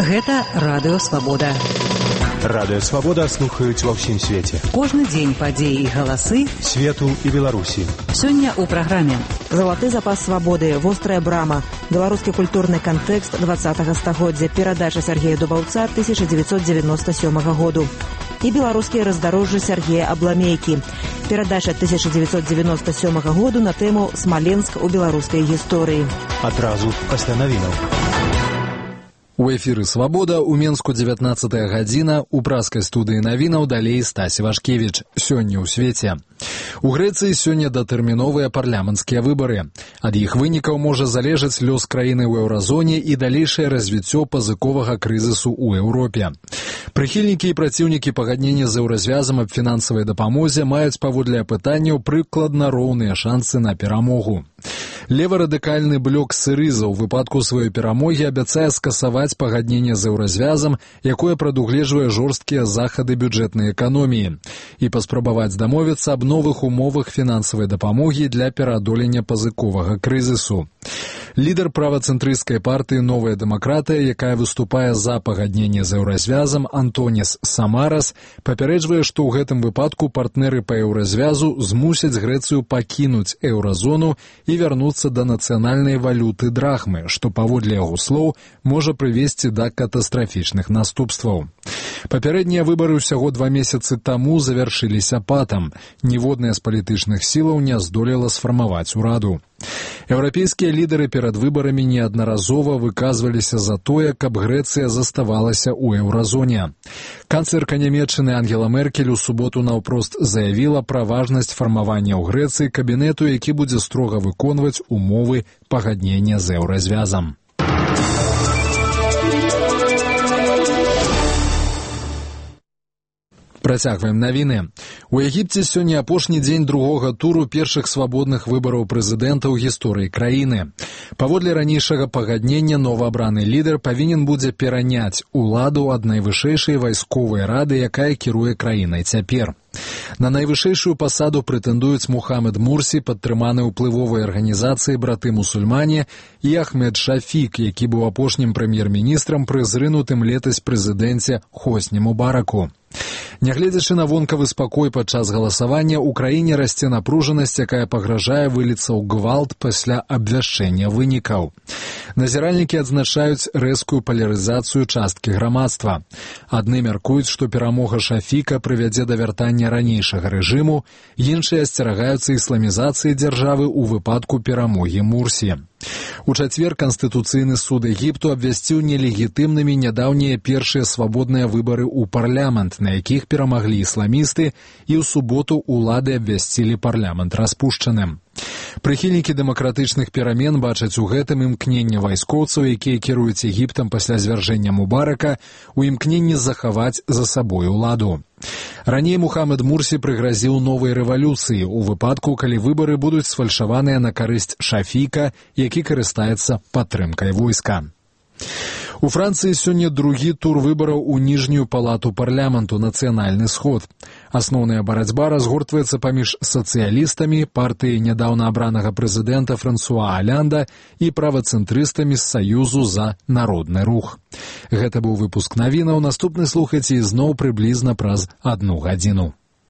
Гэта Радыё Свабода. Радыё Свабода слухаюць ва ўсім свеце. Кожны дзень падзеі і галасы свету і Беларусі. Сёння ў праграме «Залаты запас свабоды», «Вострая брама», беларускі культурны кантэкст 20-го стагоддзя, перадача Сергея Дубаўца 1997 году і беларускія раздарожжы Сергея Абламейкі, перадача 1997 году на тэму «Смаленск у беларускай гісторыі». Адразу пасля навінаў. У эфіры «Свабода» у Менску 19 гадзіна, у праскай студыі навінаў далей Стась Вашкевіч. Сёння ў свеце. У Грэцыі сёння датэрміновыя парламенцкія выбары. Ад іх вынікаў можа залежаць лёс краіны ў еўразоне і далейшае развіццё пазыковага крызісу ў Еўропе. Прыхільнікі і праціўнікі пагаднення з еўразвязам аб фінансавай дапамозе маюць паводле апытанняў прыкладна роўныя шансы на перамогу. Леварадыкальны блок Сырыза ў выпадку сваёй перамогі абяцае скасаваць пагадненне з еўразвязам, якое прадугледжвае жорсткія захады бюджэтнай эканоміі, і паспрабаваць дамовіцца аб новых умовах фінансавай дапамогі для пераадолення пазыковага крызісу. Лідар правацэнтрысцкай партыі «Новая дэмакратыя», якая выступае за пагадненне з еўразвязам, Антонис Самарас, папярэджвае, што ў гэтым выпадку партнеры па еўразвязу змусяць Грэцыю пакінуць еўразону і вярнуцца да нацыянальнай валюты драхмы, што, паводле яго слоў, можа прывесці да катастрафічных наступстваў. Папярэднія выбары ўсяго 2 месяцы таму завяршыліся патам. Ніводная з палітычных сілаў не здолела сфармаваць ураду. Еўрапейскія лідары перад выбарамі неаднаразова выказваліся за тое, каб Грэцыя заставалася ў еўразоне. Канцлерка Нямецчыны Ангела Меркель у суботу наўпрост заявіла пра важнасць фармавання ў Грэцыі кабінету, які будзе строга выконваць умовы пагаднення з еўразвязам. Працягваем навіны. У Егіпце сёння апошні дзень другога туру першых свабодных выбараў прэзідэнта ў гісторыі краіны. Паводле ранейшага пагаднення новаабраны лідар павінен будзе пераняць уладу ад найвышэйшай вайсковай рады, якая кіруе краінай цяпер. На найвышэйшую пасаду прэтэндуюць Мухаммед Мурсі, падтрыманы ўплывовай арганізацыі «Браты-мусульмане», і Ахмед Шафік, які быў апошнім прэм'ер-міністрам пры зрынутым летась прэзідэнце Хосні Мубараку. Нягледзячы на вонкавы спакой падчас галасавання, у краіне расце напружанасць, якая пагражае выліцца ў гвалт пасля абвяшчэння вынікаў. Назіральнікі адзначаюць рэзкую палярызацыю часткі грамадства. Адны мяркуюць, што перамога Шафіка прывядзе да вяртання ранейшага рэжыму, іншыя асцерагаюцца ісламізацыі дзяржавы ў выпадку перамогі Мурсі. У чацвер Канстытуцыйны суд Егіпту абвясціў нелегітымнымі нядаўнія першыя свабодныя выбары ў парламент, на якіх перамаглі ісламісты, і ў суботу ўлады абвясцілі парламент распушчаным. Прыхільнікі дэмакратычных перамен бачаць у гэтым імкненне вайскоўцаў, якія кіруюць Егіптам пасля звяржэння Мубарака, у імкненні захаваць за сабой уладу. Раней Мухаммед Мурсі прыгразіў новай рэвалюцыі ў выпадку, калі выбары будуць сфальшаваныя на карысць Шафіка, які карыстаецца падтрымкай войска. У Францыі сёння другі тур выбараў у ніжнюю палату парламенту «Нацыянальны сход». Асноўная барацьба разгортваецца паміж сацыялістамі, партыяй нядаўна абранага прэзідэнта Франсуа Алянда і правацэнтрыстамі з Саюзу за народны рух. Гэта быў выпуск навінаў. Наступны слухайце ізноў прыблізна праз 1 гадзіну.